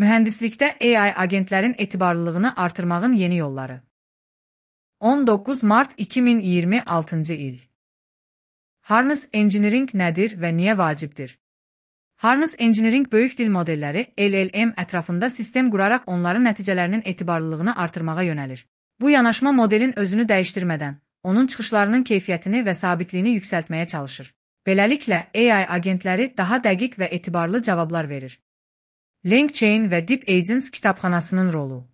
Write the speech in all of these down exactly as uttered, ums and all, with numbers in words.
Mühəndislikdə A I agentlərin etibarlılığını artırmağın yeni yolları. on doqquz mart iki min iyirmi altıncı il. Harness Engineering nədir və niyə vacibdir? Harness Engineering böyük dil modelləri L L M ətrafında sistem quraraq onların nəticələrinin etibarlılığını artırmağa yönəlir. Bu yanaşma modelin özünü dəyişdirmədən, onun çıxışlarının keyfiyyətini və sabitliyini yüksəltməyə çalışır. Beləliklə, A I agentləri daha dəqiq və etibarlı cavablar verir. LangChain və Deep Agents kitabxanasının rolu.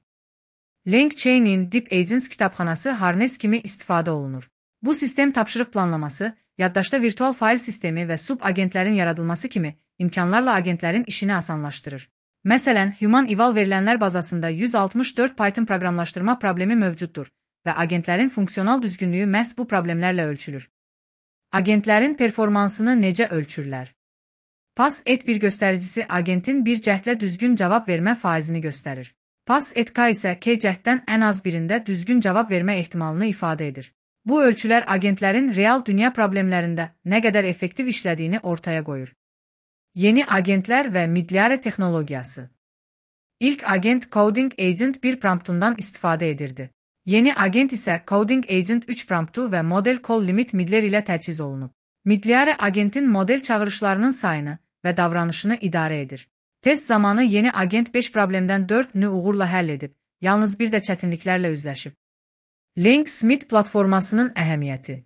LangChain'in Deep Agents kitabxanası Harness kimi istifadə olunur. Bu sistem tapşırıq planlaması, yaddaşda virtual fayl sistemi və sub-agentlərin yaradılması kimi imkanlarla agentlərin işini asanlaşdırır. Məsələn, Human Eval verilənlər bazasında yüz altmış dörd Python proqramlaşdırma problemi mövcuddur və agentlərin funksional düzgünlüyü məhz bu problemlərlə ölçülür. Agentlərin performansını necə ölçürlər? Pass et bir göstəricisi agentin bir cəhdlə düzgün cavab vermə faizini göstərir. Pass et K isə K cəhddən ən az birində düzgün cavab vermə ehtimalını ifadə edir. Bu ölçülər agentlərin real dünya problemlərində nə qədər effektiv işlədiyini ortaya qoyur. Yeni agentlər və Midliarə texnologiyası. İlk agent Coding Agent bir promptundan istifadə edirdi. Yeni agent isə Coding Agent üç promptu və Model Call Limit Midler ilə təchiz olunub. Midliarə agentin model çağırışlarının sayını və davranışını idarə edir. Test zamanı yeni agent beş problemdən dördünü uğurla həll edib, yalnız bir də çətinliklərlə üzləşib. LangSmith platformasının əhəmiyyəti.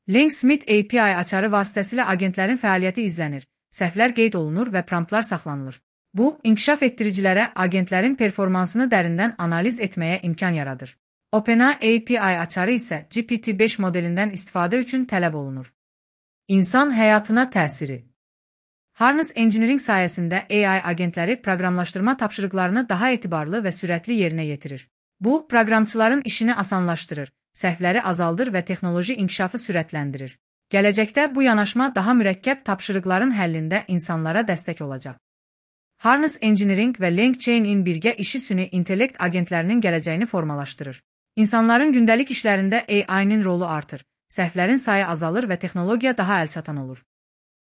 LangSmith A P I açarı vasitəsilə agentlərin fəaliyyəti izlənir, səhvlər qeyd olunur və promptlar saxlanılır. Bu, inkişaf etdiricilərə agentlərin performansını dərindən analiz etməyə imkan yaradır. OpenAI A P I açarı isə G P T beş modelindən istifadə üçün tələb olunur. İnsan həyatına təsiri. Harness Engineering sayəsində A I agentləri proqramlaşdırma tapşırıqlarını daha etibarlı və sürətli yerinə yetirir. Bu, proqramçıların işini asanlaşdırır, səhvləri azaldır və texnoloji inkişafı sürətləndirir. Gələcəkdə bu yanaşma daha mürəkkəb tapşırıqların həllində insanlara dəstək olacaq. Harness Engineering və LangChain'in birgə işi süni intellekt agentlərinin gələcəyini formalaşdırır. İnsanların gündəlik işlərində A I'nin rolu artır, səhvlərin sayı azalır və texnologiya daha əlçatan olur.